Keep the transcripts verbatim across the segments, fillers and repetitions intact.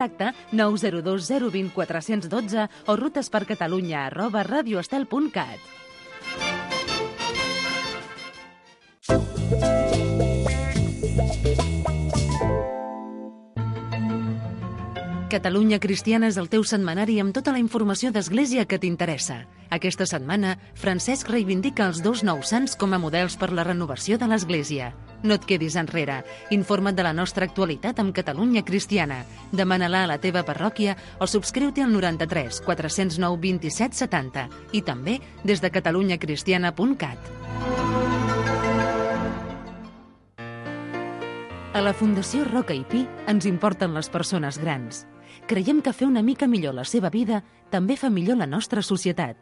Contacte nou zero dos zero dos zero quatre un dos o rutespercatalunya arroba radioestel punt cat. Catalunya Cristiana és el teu setmanari amb tota la informació d'Església que t'interessa. Aquesta setmana, Francesc reivindica els dos nous sants com a models per la renovació de l'Església. No et quedis enrere. Informa't de la nostra actualitat amb Catalunya Cristiana. Demana-la a la teva parròquia o subscriu-te al noranta-tres quatre zero nou vint set setanta i també des de catalunya cristiana punt cat. A la Fundació Roca i Pi ens importen les persones grans. Creiem que fer una mica millor la seva vida també fa millor la nostra societat.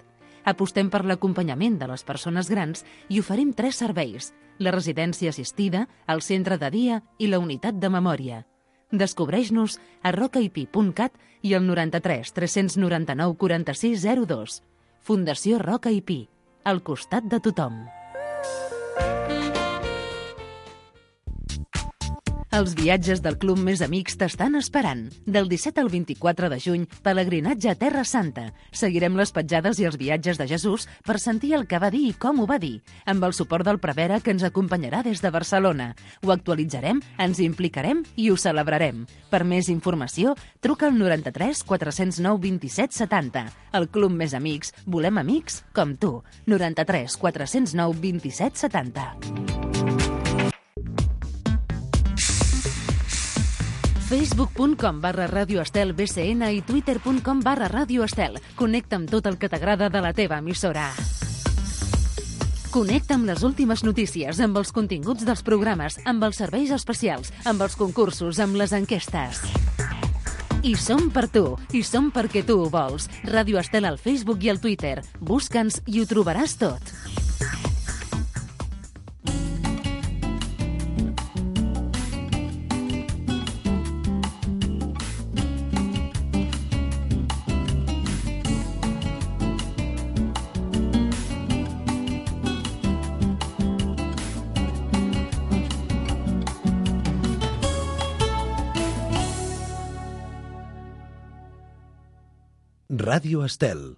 Apostem per l'acompanyament de les persones grans i oferim tres serveis: la residència assistida, el centre de dia i la unitat de memòria. Descobreix-nos a rocaipi punt cat i al noranta-tres tres nou nou quaranta sis zero dos. Fundació Roca i Pi, al costat de tothom. Els viatges del Club Més Amics t'estan esperant. Del disset al vint-i-quatre de juny, pelegrinatge a Terra Santa. Seguirem les petjades i els viatges de Jesús per sentir el que va dir i com ho va dir, amb el suport del prevere que ens acompanyarà des de Barcelona. Ho actualitzarem, ens implicarem i ho celebrarem. Per més informació, truca al noranta-tres quatre zero nou vint set setanta. El Club Més Amics, volem amics com tu. noranta-tres quatre zero nou vint set setanta. facebook punt com barra radioestel B C N i twitter punt com barra radioestel. Connecta amb tot el que t'agrada de la teva emissora. Connecta amb les últimes notícies, amb els continguts dels programes, amb els serveis especials, amb els concursos, amb les enquestes. I som per tu, i som perquè tu ho vols. Ràdio Estel al Facebook i al Twitter. Busca'ns i ho trobaràs tot. Ràdio Estel.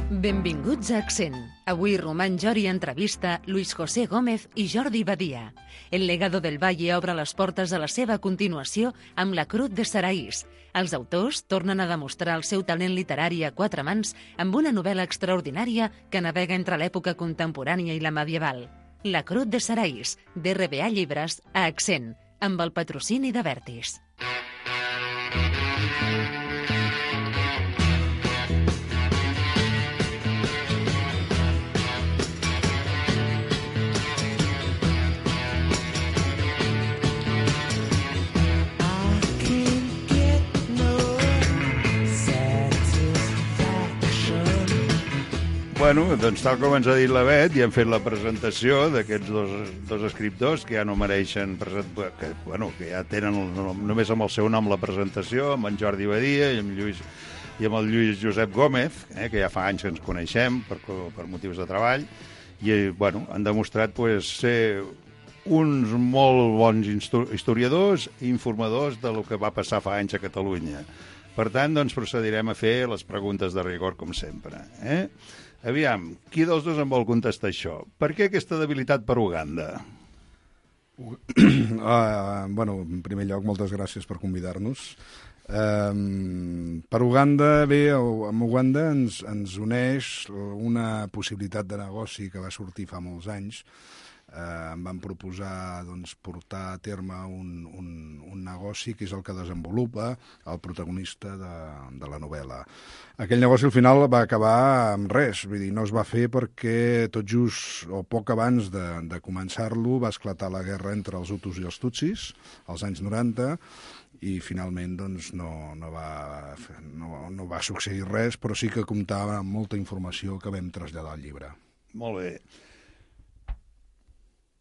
Benvinguts a Accent. Avui Román Jori entrevista Luis José Gómez i Jordi Badia. El legado del Valle obre les portes a la seva continuació amb La Cruz de Saraís. Els autors tornen a demostrar el seu talent literari a quatre mans amb una novel·la extraordinària que navega entre l'època contemporània i la medieval. La Cruz de Saraís, d'R B A Llibres, a Accent, amb el patrocini de Vertis. Bueno, doncs tal com ens ha dit la Bet, ja hem fet la presentació d'aquests dos, dos escriptors que ja no mereixen present... que, bueno, que ja tenen el, només amb el seu nom la presentació, amb en Jordi Badia i amb, Lluís, i amb el Lluís Josep Gómez, eh, que ja fa anys que ens coneixem per, per motius de treball, i bueno, han demostrat pues, ser uns molt bons historiadors i informadors de lo que va passar fa anys a Catalunya. Per tant, doncs, procedirem a fer les preguntes de rigor, com sempre. Eh? Aviam, qui dels dos em vol contestar això? Per què aquesta debilitat per Uganda? Uh, bueno, en primer lloc, moltes gràcies per convidar-nos. Um, per Uganda, bé, amb Uganda ens, ens uneix una possibilitat de negoci que va sortir fa molts anys. Uh, em van proposar doncs, portar a terme un, un, un negoci que és el que desenvolupa el protagonista de, de la novel·la. Aquell negoci al final va acabar amb res, vull dir, no es va fer perquè tot just o poc abans de, de començar-lo va esclatar la guerra entre els Hutus i els Tutsis, als anys noranta, i finalment doncs, no, no, va, no, no va succeir res, però sí que comptava amb molta informació que vam traslladar al llibre. Molt bé.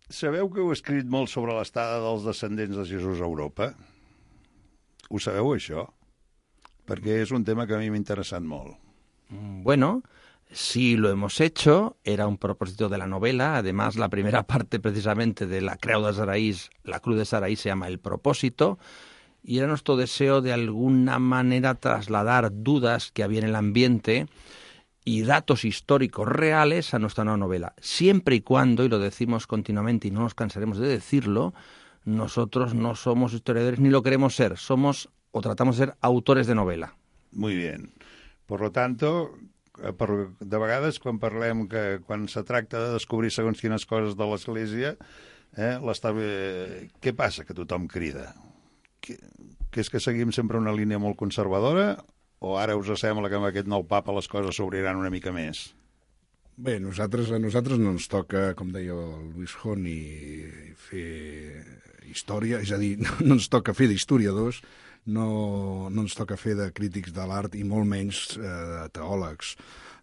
Sabeu que heu escrit molt sobre l'estada dels descendents de Jesús a Europa? Ho sabeu, això? Perquè és un tema que a mi m'ha interessat molt. Bueno, Sí, lo hemos hecho, era un propósito de la novela, además la primera parte precisamente de la Creu de Saraís, la Cruz de Saraís se llama El propósito, y era nuestro deseo de alguna manera trasladar dudas que había en el ambiente y datos históricos reales a nuestra nueva novela, siempre y cuando, y lo decimos continuamente y no nos cansaremos de decirlo, nosotros no somos historiadores ni lo queremos ser, somos o tratamos de ser autores de novela. Muy bien. Por lo tanto, per, de vegades quan parlem que quan se tracta de descobrir segons quines coses de l'Església, eh, eh, què passa que tothom crida? Que, que és que seguim sempre una línia molt conservadora o ara us sembla que amb aquest nou papa les coses s'obriran una mica més? Bé, nosaltres, a nosaltres no ens toca, com deia el Luis Joni, fer història, és a dir, no ens toca fer d'historiadors, no, no ens toca fer de crítics de l'art i molt menys eh, de teòlegs.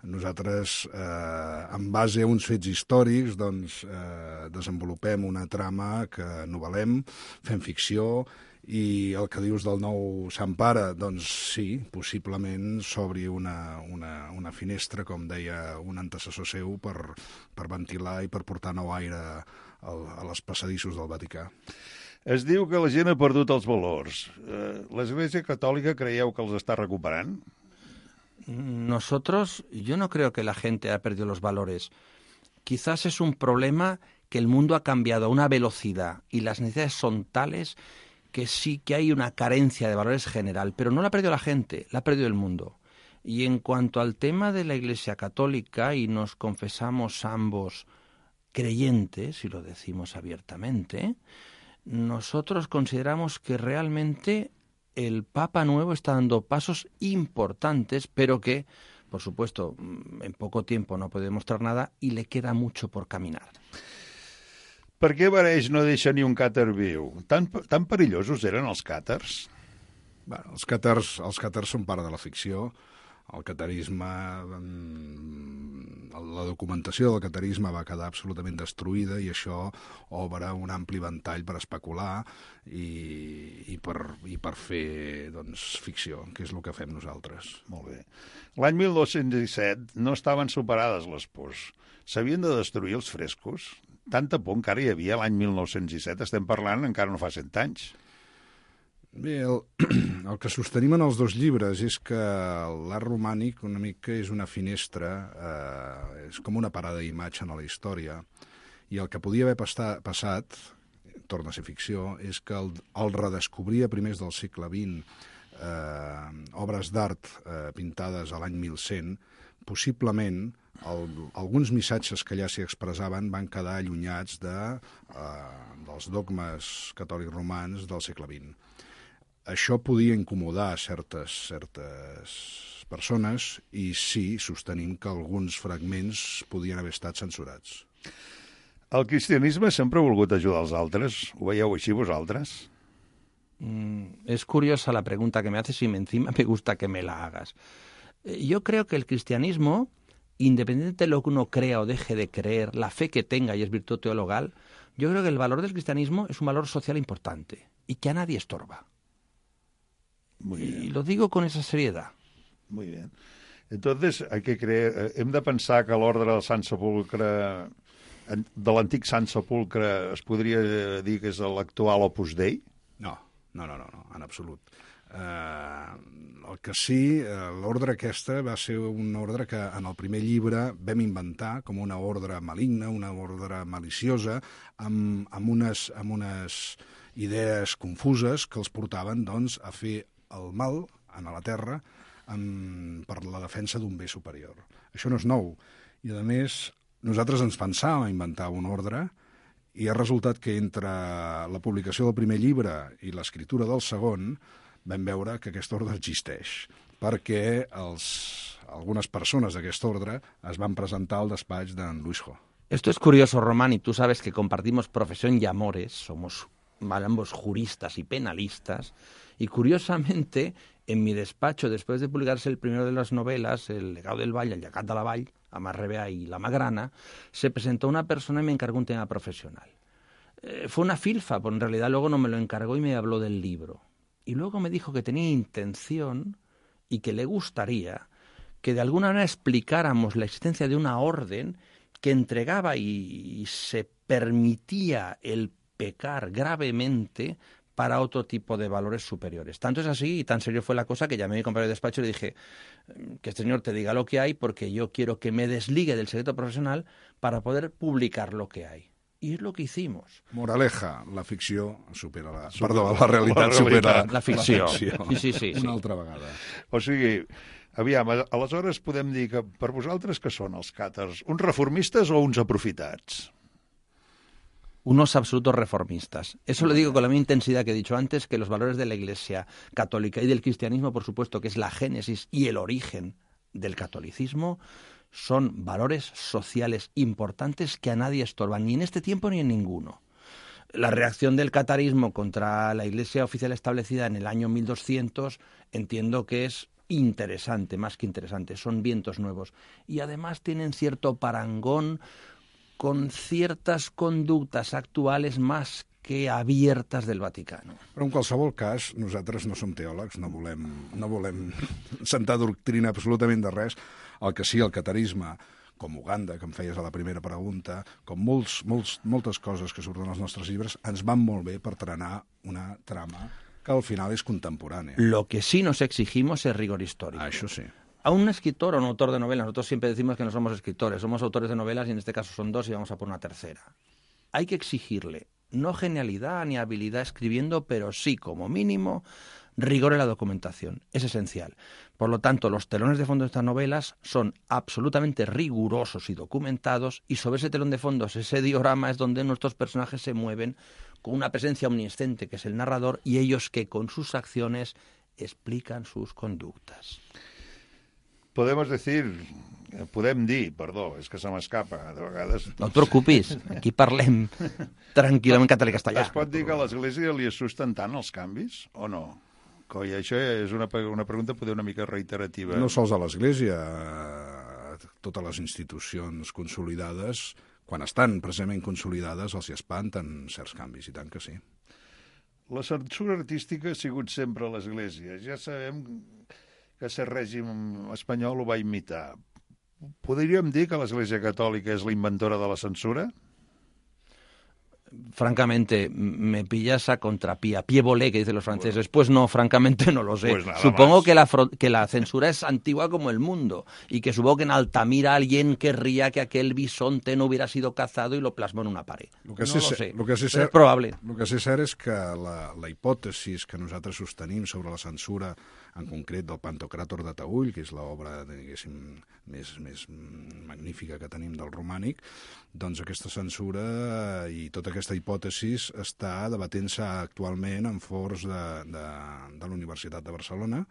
Nosaltres, eh, en base a uns fets històrics, doncs, eh, desenvolupem una trama que novel·lem, fem ficció, i el que dius del nou Sant Pare, doncs sí, possiblement s'obri una, una, una finestra, com deia un antecessor seu, per, per ventilar i per portar nou aire al, a les passadissos del Vaticà. Es diu que la gent ha perdut els valors. ¿L'Església Catòlica creieu que els està recuperant? Nosotros, yo no creo que la gente haya perdido los valores. Quizás es un problema que el mundo ha cambiado a una velocidad y las necesidades son tales que sí que hay una carencia de valores general, pero no la ha perdido la gente, la ha perdido el mundo. Y en cuanto al tema de la Iglesia Católica, y nos confesamos ambos creyentes, y lo decimos abiertamente, nosotros consideramos que realmente el Papa Nuevo está dando pasos importantes, pero que, por supuesto, en poco tiempo no puede demostrar nada y le queda mucho por caminar. Per què Bareix no deixa ni un càtar viu? Tan, tan perillosos eren els càtars? Bueno, els càtars, els càtars són part de la ficció. El catarisme, la documentació del catarisme va quedar absolutament destruïda i això obre un ampli ventall per especular i, i, per, i per fer doncs, ficció, que és el que fem nosaltres. Molt bé. L'any mil nou-cents disset no estaven superades les pors. S'havien de destruir els frescos? Tanta por encara hi havia l'any mil nou-cents disset, estem parlant encara no fa cent anys. Bé, el, el que sostenim en els dos llibres és que l'art romànic una mica és una finestra, eh, és com una parada d'imatge en la història, i el que podia haver pasta, passat, torna a ser ficció, és que el, el redescobrir a primers del segle vint eh, obres d'art eh, pintades a l'any mil cent, possiblement el, alguns missatges que allà s'hi expressaven van quedar allunyats de, eh, dels dogmes catòlics romans del segle vint. Això podia incomodar certes, certes persones i sí, sostenim que alguns fragments podien haver estat censurats. El cristianisme sempre ha volgut ajudar els altres. Ho veieu així vosaltres? Mm, es curiosa la pregunta que me haces y encima me gusta que me la hagas. Yo creo que el cristianismo, independientemente de lo que uno crea o deje de creer, la fe que tenga y es virtud teologal, yo creo que el valor del cristianismo es un valor social importante y que a nadie estorba. Muy bien. Y lo digo con esa seriedad. Muy bien. Entonces, hay que creer, hem de pensar que l'ordre del Sant Sepulcre, de l'antic Sant Sepulcre, es podria dir que és l'actual Opus Dei? No, no, no, no, no en absolut. Uh, el que sí, uh, l'ordre aquesta va ser un ordre que en el primer llibre vam inventar com una ordre maligna, una ordre maliciosa, amb, amb, unes, amb unes idees confuses que els portaven doncs, a fer el mal a la terra amb, per la defensa d'un bé superior. Això no és nou. I, a més, nosaltres ens pensàvem inventar un ordre i ha resultat que entre la publicació del primer llibre i l'escriptura del segon vam veure que aquest ordre existeix, perquè els, algunes persones d'aquest ordre es van presentar al despatx d'en Luis Jo. Esto es curioso, Román, y tú sabes que compartimos profesión y amores, somos ambos juristas y penalistas, y curiosamente, en mi despacho, después de publicarse el primero de las novelas, El legado del Vall, El llegat de la Vall, Amas Rebea y La Magrana, se presentó una persona y me encargó un tema profesional. Eh, fue una filfa, pero en realidad luego no me lo encargó y me habló del libro. Y luego me dijo que tenía intención y que le gustaría que de alguna manera explicáramos la existencia de una orden que entregaba y, y se permitía el pecar gravemente para otro tipo de valores superiores. Tanto es así y tan serio fue la cosa que llamé a mi compañero de despacho y le dije que este señor te diga lo que hay porque yo quiero que me desligue del secreto profesional para poder publicar lo que hay. I és el que hicimos. Moraleja, la ficció supera la... Perdó, la realitat supera la ficció. La ficció. Sí, sí, sí, sí. Una altra vegada. O sigui, aviam, aleshores podem dir que per vosaltres què són els càtars? Uns reformistes o uns aprofitats? Unos absolutos reformistas. Eso lo digo con la misma intensidad que he dicho antes, que los valores de la Iglesia católica y del cristianismo, por supuesto, que es la génesis y el origen del catolicismo, son valores sociales importantes que a nadie estorban, ni en este tiempo ni en ninguno. La reacción del catarismo contra la Iglesia oficial establecida en el año mil doscientos entiendo que es interesante, más que interesante, son vientos nuevos. Y además tienen cierto parangón con ciertas conductas actuales más que abiertas del Vaticano. Però en qualsevol cas, nosaltres no som teòlegs, no volem, no volem sentar doctrina absolutament de res. El que sí, el catarisme, com Uganda, que em feies a la primera pregunta, com molts, molts, moltes coses que surten als nostres llibres, ens van molt bé per trenar una trama que al final és contemporània. Lo que sí nos exigimos es rigor histórico. Ah, això sí. A un escritor o un autor de novelas, nosotros siempre decimos que no somos escritores, somos autores de novelas y en este caso son dos y vamos a por una tercera. Hay que exigirle no genialidad ni habilidad escribiendo, pero sí, como mínimo, rigor en la documentación. Es esencial. Por lo tanto, los telones de fondo de estas novelas son absolutamente rigurosos y documentados, y sobre ese telón de fondos, ese diorama, es donde nuestros personajes se mueven con una presencia omnisciente, que es el narrador, y ellos que con sus acciones explican sus conductas. Podemos decir, podem dir, perdó, és que se m'escapa, de vegades... No et preocupis, aquí parlem tranquil·lament català i castellà. Es pot dir que a l'Església li assusten tant els canvis, o no? Coi, això és una, una pregunta poder una mica reiterativa. No sols a l'Església, totes les institucions consolidades, quan estan precisament consolidades, els hi espanten certs canvis, i tant que sí. La censura artística ha sigut sempre a l'Església. Ja sabem que el règim espanyol ho va imitar. Podríem dir que l'Església Catòlica és la inventora de la censura? Francamente, me pillas a contrapié, pie volé, que dicen los franceses. Pues no, francamente no lo sé. Pues supongo que la, que la censura es antigua como el mundo y que supongo que en Altamira alguien querría que aquel bisonte no hubiera sido cazado y lo plasmó en una pared. Lo que no sí lo sé, sé, lo que sí però ser, és probable. El que sí cert és que la, la hipòtesi que nosaltres sostenim sobre la censura, en concret del Pantocràtor de Taüll, que és l'obra més, més magnífica que tenim del romànic, doncs aquesta censura i tota aquesta hipòtesi està debatent-se actualment en fors de, de, de la Universitat de Barcelona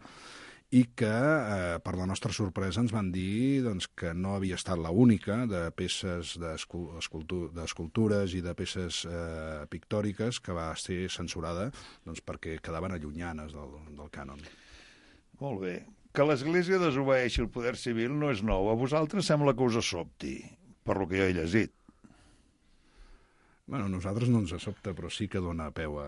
i que, eh, per la nostra sorpresa, ens van dir doncs, que no havia estat l'única de peces d'escultures i de peces eh, pictòriques que va ser censurada doncs, perquè quedaven allunyanes del, del cànon. Molt bé. Que l'Església desobeeixi el poder civil no és nou. A vosaltres sembla que us sobti, per lo que jo he llegit. Bueno, a nosaltres no ens sobta, però sí que dona peu a,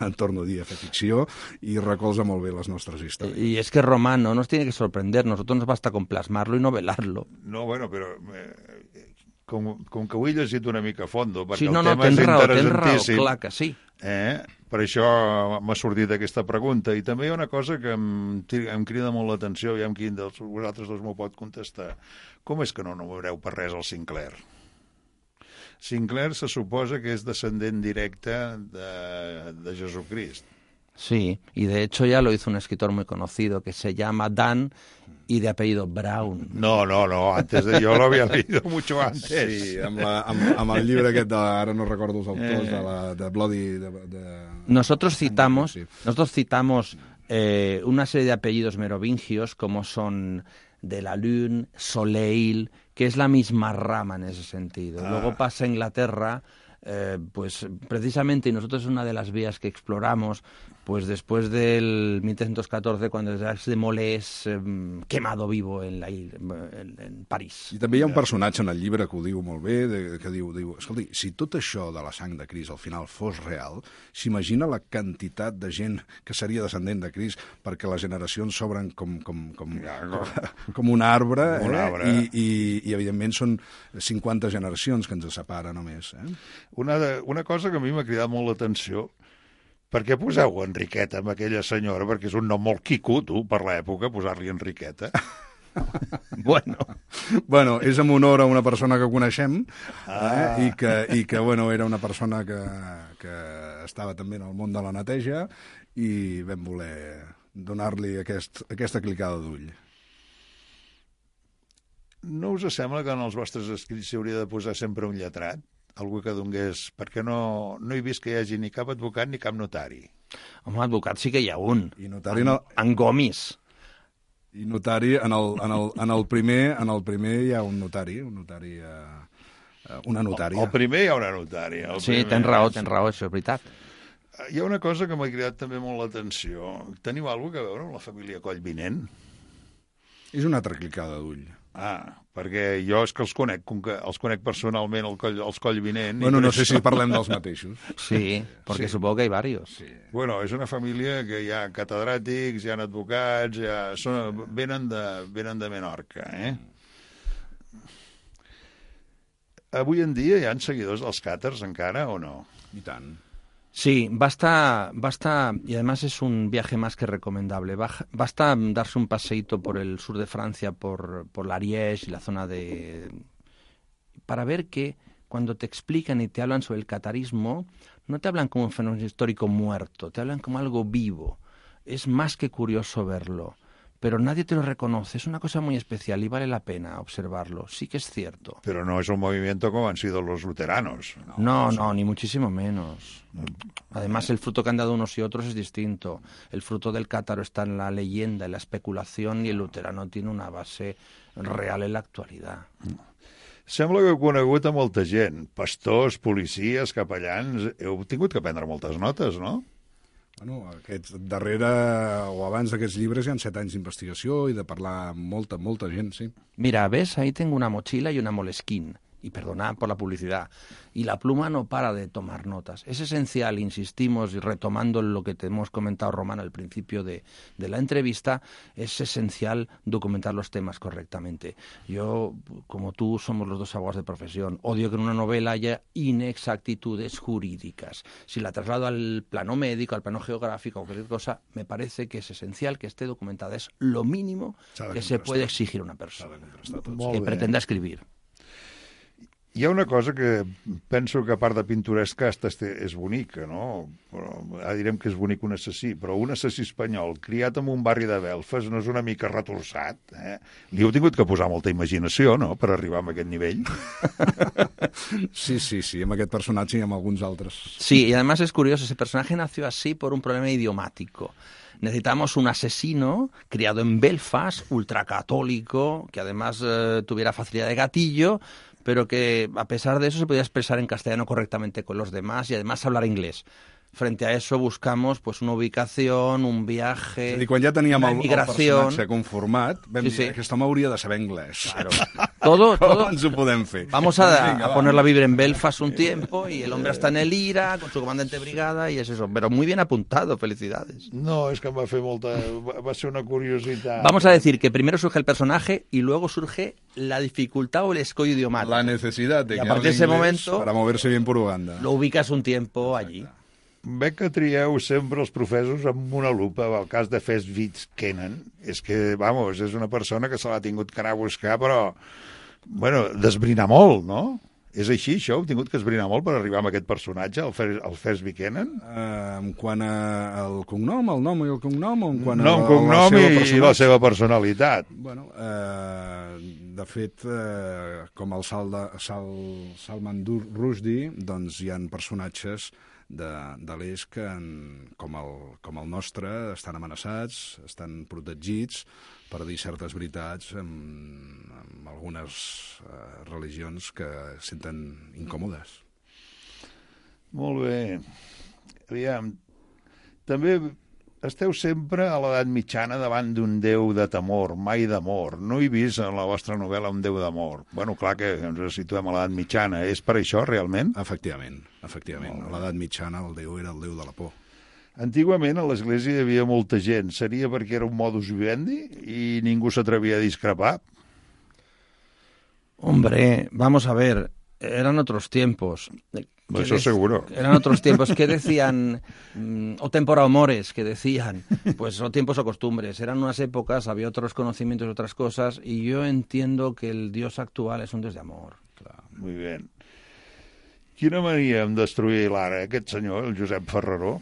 a torno a dir, a fer ficció i recolza molt bé les nostres històries. Y es que Román no nos tiene que sorprender, nosotros nos basta con plasmarlo y novelarlo. No, bueno, però eh, com, com que ho he llegit una mica a fondo, perquè sí, no, el no, tema és raó, interessantíssim. Raó, clar que sí. Eh? Per això m'ha sortit aquesta pregunta. I també hi ha una cosa que em, em crida molt l'atenció, aviam quin dels vosaltres dos m'ho pot contestar. Com és que no nombreu per res el Sinclair? Sinclair se suposa que és descendent directe de, de Jesucrist. Sí, y de hecho ya lo hizo un escritor muy conocido que se llama Dan y de apellido Brown. No, no, no, antes de yo lo había leído mucho antes. Sí, amb, la, amb, amb el llibre aquest, de, ara no recordo els autors, eh. de, la, de Bloody... De, de... Nosotros citamos, sí. nosotros citamos eh, una serie de apellidos merovingios como son de la Lune, Soleil, que es la misma rama en ese sentido. Ah. Luego pasa a Inglaterra Eh, pues precisamente, y nosotros es una de las vías que exploramos, pues después del mil trescientos catorze, cuando Jacques de Molay és eh, quemado vivo en, la, en, en París. I també hi ha un personatge en el llibre que ho diu molt bé, de, que diu, diu, escolti, si tot això de la sang de Crist al final fos real, s'imagina la quantitat de gent que seria descendent de Crist, perquè les generacions s'obren com, com, com, com, com un arbre, un eh? arbre. I, i, i evidentment són cinquanta generacions que ens separen només. Eh? Una, de, una cosa que a mi m'ha cridat molt l'atenció, per què poseu Enriqueta amb aquella senyora? Perquè és un nom molt quico, tu, per l'època, posar-li Enriqueta. Bueno. Bueno, és en honor a una persona que coneixem, Ah. eh? I, que, i que, bueno, era una persona que, que estava també en el món de la neteja i vam voler donar-li aquest, aquesta clicada d'ull. No us sembla que en els vostres escrits s'hauria de posar sempre un lletrat? Algú que donés... Perquè no, no he vist que hi hagi ni cap advocat ni cap notari. Home, advocat sí que hi ha un. I notari en, no- en Gomis. I notari, en el, en el, en el, primer, en el primer hi ha un notari, un notari eh, eh, una notària. El primer hi ha una notària. El Sí, primer. tens raó, tens raó, això és veritat. Hi ha una cosa que m'ha cridat també molt l'atenció. Teniu alguna cosa a veure amb la família Collvinent? És una altra clicada d'ull. Ah, perquè jo és que els conec, com que els conec personalment el coll, els Collvinent. Bueno, no sé si parlem dels mateixos. Sí, porque Sí. supongo que hay varios. Sí. Bueno, és una família que hi ha catedràtics, hi ha advocats, hi ha... Són, venen, de, venen de Menorca, eh? Avui en dia hi ha seguidors dels càters encara o no? I tant. Sí, basta, basta, y además es un viaje más que recomendable. Baja- Basta darse un paseíto por el sur de Francia, por, por l'Ariège y la zona de... para ver que cuando te explican y te hablan sobre el catarismo, no te hablan como un fenómeno histórico muerto, te hablan como algo vivo. Es más que curioso verlo, pero nadie te lo reconoce. Es una cosa muy especial y vale la pena observarlo. Sí que es cierto. Pero no es un movimiento como han sido los luteranos. No, no, ni muchísimo menos. Además, el fruto que han dado unos y otros es distinto. El fruto del cátaro está en la leyenda, en la especulación, y el luterano tiene una base real en la actualidad. Sembla que heu conegut a molta gent, pastors, policies, capellans... Heu tingut que prendre moltes notes, no? Bueno, aquest, darrere o abans d'aquests llibres hi ha set anys d'investigació i de parlar amb molta, molta gent, sí. Mira, ves, ahí tengo una mochila y una Moleskine. Y perdonad por la publicidad. Y la pluma no para de tomar notas. Es esencial, insistimos, y retomando lo que te hemos comentado, Román, al principio de, de la entrevista, es esencial documentar los temas correctamente. Yo, como tú, somos los dos abogados de profesión. Odio que en una novela haya inexactitudes jurídicas. Si la traslado al plano médico, al plano geográfico o cualquier cosa, me parece que es esencial que esté documentada. Es lo mínimo que se puede exigir a una persona que pretenda escribir. Hi ha una cosa que penso que a part de pintoresca és bonica, no? Però, ara direm que és bonic un assassí, però un assassí espanyol criat en un barri de Belfast no és una mica retorçat, eh? Li heu tingut que posar molta imaginació, no?, per arribar a aquest nivell. Sí, sí, sí, amb aquest personatge i amb alguns altres. Sí, y además es curioso, ese personaje nació así por un problema idiomático. Necesitamos un asesino criado en Belfast, ultracatólico, que además eh, tuviera facilidad de gatillo, pero que a pesar de eso se podía expresar en castellano correctamente con los demás y además hablar inglés. Frente a eso buscamos pues una ubicación, un viaje, És a dir, quan ja teníem una el, el migración. personatge conformat, vam Sí, dir, sí. aquest home hauria de saber anglès. Claro. Todo, Com todo. ens ho podem fer? Vamos a, Vinga, a va. ponerla a vivir en Belfast un tiempo y el hombre está en el IRA con su comandante de brigada y es eso. Pero muy bien apuntado, felicidades. No, és que em va fer molta... Va va ser una curiositat. Vamos a decir que primero surge el personaje y luego surge la dificultad o el escollo idiomático. La necesidad de Y a que partir de hable ese inglés momento para moverse bien por Uganda. lo ubicas un tiempo allí. Veig que trieu sempre els professos amb una lupa. El cas de Fest-Wittkennen és que, vamos, és una persona que se l'ha tingut que anar a buscar, però, bueno, d'esbrinar molt, no? És així, això? Heu tingut que esbrinar molt per arribar a aquest personatge, el, Fer, el Fest-Wittkennen? Uh, en quant a, al cognom, el nom i el cognom, o en quant No, a, un la- cognom la seva i la personalitat? seva personalitat. Bueno, eh, de fet, eh, com el Sal de, Sal, Salman Dur- Rushdie, doncs hi ha personatges de, de l'est que, en, com, el, com el nostre, estan amenaçats, estan protegits per dir certes veritats amb, amb algunes eh, religions que senten incòmodes. Molt bé. Aviam, també esteu sempre a l'edat mitjana davant d'un déu de temor, mai d'amor. No he vist en la vostra novel·la un déu d'amor. Bueno, clar que ens situem a l'edat mitjana. És per això, realment? Efectivament, efectivament. A l'edat mitjana el déu era el déu de la por. Antigament a l'església hi havia molta gent. Seria perquè era un modus vivendi i ningú s'atrevia a discrepar? Hombre, vamos a ver, eran otros tiempos. Eso es seguro. Eran otros tiempos. ¿Qué decían? O tempora o mores, que decían. Pues o tiempos o costumbres. Eran unas épocas, había otros conocimientos, otras cosas, y yo entiendo que el Dios actual es un Dios de amor. Clar, muy bien. Quina mania en destruir l'art, eh, aquest senyor, el Josep Ferreró?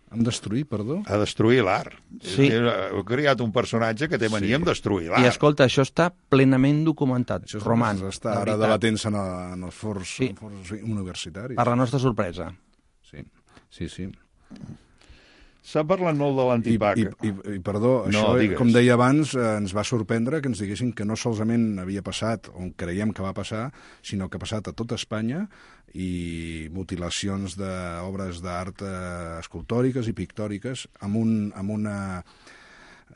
En destruir, perdó? A destruir l'art. Sí. Heu creat un personatge que té mania sí. en destruir l'art. I escolta, això està plenament documentat, això Roman. Està ara debatent-se en, en els fors, sí. en fors universitaris. Per la nostra sorpresa. Sí, sí, sí. S'ha parlat molt de l'antipac. I, i, i, i perdó, no, això, digues. Com deia abans, eh, ens va sorprendre que ens diguessin que no solament havia passat, on creiem que va passar, sinó que ha passat a tota Espanya, i mutilacions d'obres d'art eh, escultòriques i pictòriques amb, un, amb una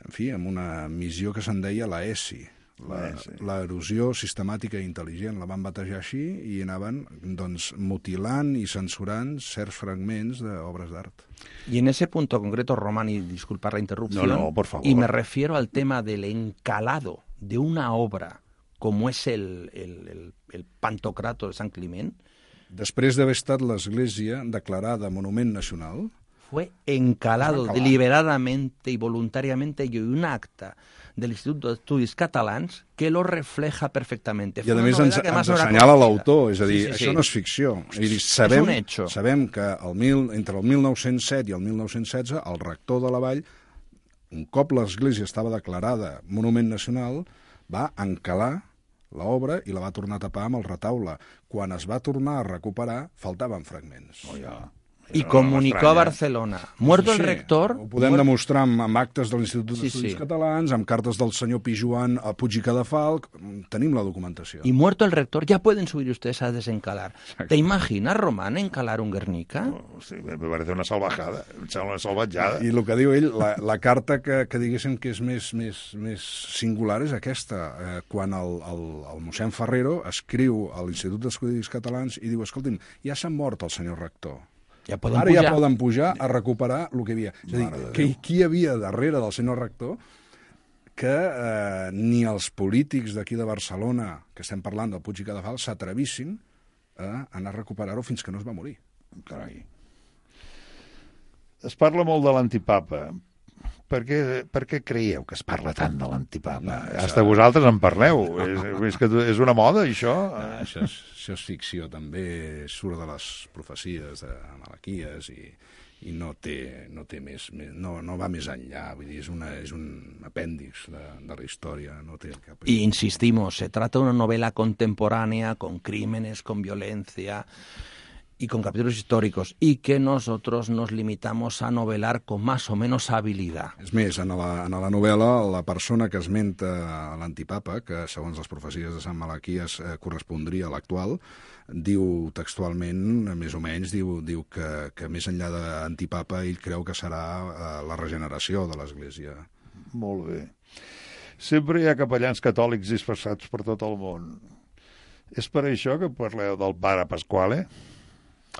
en fi, amb una missió que se'n deia la E S I, l'erosió sistemàtica i intel·ligent, la van batejar així i anaven doncs, mutilant i censurant certs fragments d'obres d'art. Y en ese punto concreto, Román, y disculpar la interrupción, no, no, por favor. Y me refiero al tema del encalado de una obra como es el, el, el, el Pantocrator de Sant Climent. Després d'haver estat l'Església declarada Monument Nacional, fue encalado deliberadamente y voluntariamente, y un acta del Instituto de Estudis Catalans que lo refleja perfectamente. I a més ens, ens assenyala l'autor, és a dir, sí, sí, això sí. No és ficció. És, dir, sabem, és un hecho. Sabem que el mil, entre el mil nou-cents set i el mil nou-cents setze el rector de la Vall, un cop l'Església estava declarada Monument Nacional, va encalar l'obra i la va tornar a tapar amb el retaule. Quan es va tornar a recuperar, faltaven fragments. Oh, ja. Y comunicó a Barcelona. Muerto sí, el rector... Ho podem muert... demostrar amb, amb actes de l'Institut sí, d'Estudis sí. Catalans, amb cartes del senyor Pijuan a Puig i Cadafalc. Tenim la documentació. Y muerto el rector, ya pueden subir ustedes a desencalar. Exacte. ¿Te imaginas, Román, encalar un Guernica? No, sí, me parece una salvajada, una salvatjada. I el que diu ell, la, la carta que, que diguéssim que és més, més, més singular és aquesta. Eh, quan el, el, el mossèn Ferrero escriu a l'Institut d'Estudis Catalans i diu, escolti'm, ja s'ha mort el senyor rector. Ja poden Ara pujar. ja poden pujar a recuperar el que hi havia. És a dir, que, qui hi havia darrere del senyor rector que eh, ni els polítics d'aquí de Barcelona, que estem parlant del Puig i Cadafalc, s'atrevissin a anar a recuperar-ho fins que no es va morir. Carai. Es parla molt de l'antipapa. Per què, per què creieu que es parla tant de l'antipapa? No, això... Hasta vosaltres en parleu. és, és, que és una moda, això? No, això, és, això és ficció, també surt de les profecies de Malaquies i, i no té, no té més, més no, no va més enllà, vull dir, és, una, és un apèndix de, de la història. No té cap... Y insistimos, se trata de una novela contemporánea con crímenes, con violencia y con capítulos históricos, y que nosotros nos limitamos a novelar con más o menos habilidad. És més, en la, en la novel·la, la persona que esmenta l'antipapa, que segons les profecies de Sant Malaquies eh, correspondria a l'actual, diu textualment, més o menys, diu, diu que, que més enllà d'antipapa ell creu que serà eh, la regeneració de l'Església. Molt bé. Sempre hi ha capellans catòlics dispersats per tot el món. És per això que parleu del pare Pasquale?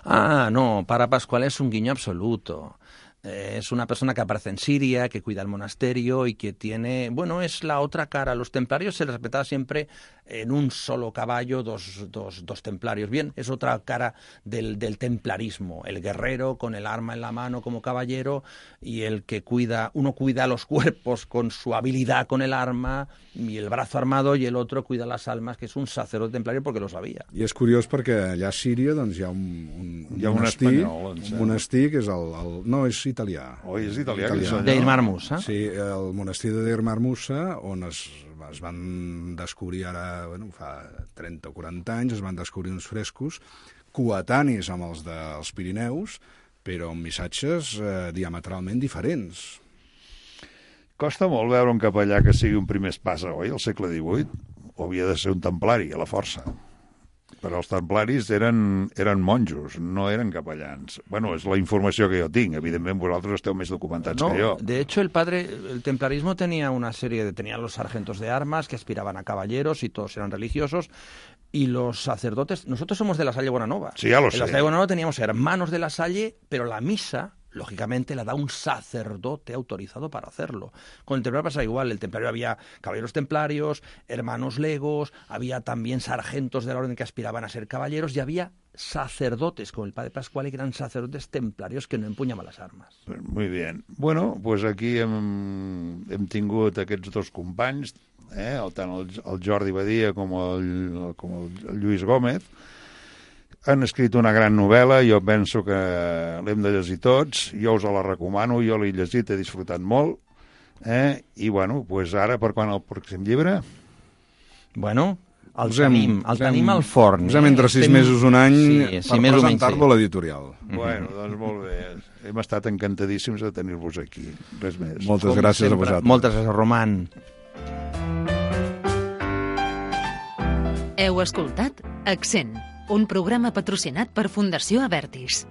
Ah, no, Para Pascual es un guiño absoluto. Eh, es una persona que aparece en Siria, que cuida el monasterio y que tiene... Bueno, es la otra cara. Los templarios se les respetaba siempre en un solo caballo, dos, dos, dos templarios. Bien, es otra cara del, del templarismo. El guerrero con el arma en la mano como caballero y el que cuida... Uno cuida los cuerpos con su habilidad con el arma y el brazo armado, y el otro cuida las almas, que és un sacerdote templario porque lo sabia. I és curiós perquè allà a Síria doncs, hi ha un, un, un hi ha monestir, un, espanyol, un monestir que és el... el no, és italià. Oh, és italià. italià. Deir Marmusa. Sí, el monestir de Deir Marmusa, on es, es van descobrir ara, bueno, fa trenta o quaranta anys, es van descobrir uns frescos coetanis amb els dels Pirineus, però amb missatges eh, diametralment diferents. Costa molt veure un capellà que sigui un primer espasa, oi, al segle divuit? O havia de ser un templari, a la força? Però els templaris eren, eren monjos, no eren capellans. Bueno, és la informació que jo tinc. Evidentment, vosaltres esteu més documentats no, que jo. De hecho, el padre, el templarismo tenía una serie de... Tenía los sargentos de armas que aspiraban a caballeros y todos eran religiosos. Y los sacerdotes... Nosotros somos de la Salle Bonanova. Sí, ya lo en sé. la Salle Bonanova teníamos hermanos de la Salle, pero la misa... lógicamente la da un sacerdote autorizado para hacerlo. Con el templario pasa igual, el templario había caballeros templarios, hermanos legos, había también sargentos de la orden que aspiraban a ser caballeros y había sacerdotes, como el padre Pasquale, que eran sacerdotes templarios que no empuñaban las armas. Muy bien. Bueno, pues aquí hem, hem tingut aquests dos companys, eh, tant el, el Jordi Badia com el, com el Lluís Gómez. Han escrit una gran novel·la, jo penso que l'hem de llegir tots, jo us la recomano, jo l'he llegit, he disfrutat molt, eh? I bueno, pues ara per quan el pròxim llibre? Bueno, el Posem, tenim, el posem, tenim al forn. Posem entre sis Estem... mesos un any sí, per sí, presentar-lo sí. a l'editorial. Bueno, doncs molt bé. Hem estat encantadíssims de tenir-vos aquí. Res més. Moltes Com gràcies sempre. a vosaltres. Moltes gràcies, Roman. Heu escoltat Accent, un programa patrocinat per Fundació Avertis.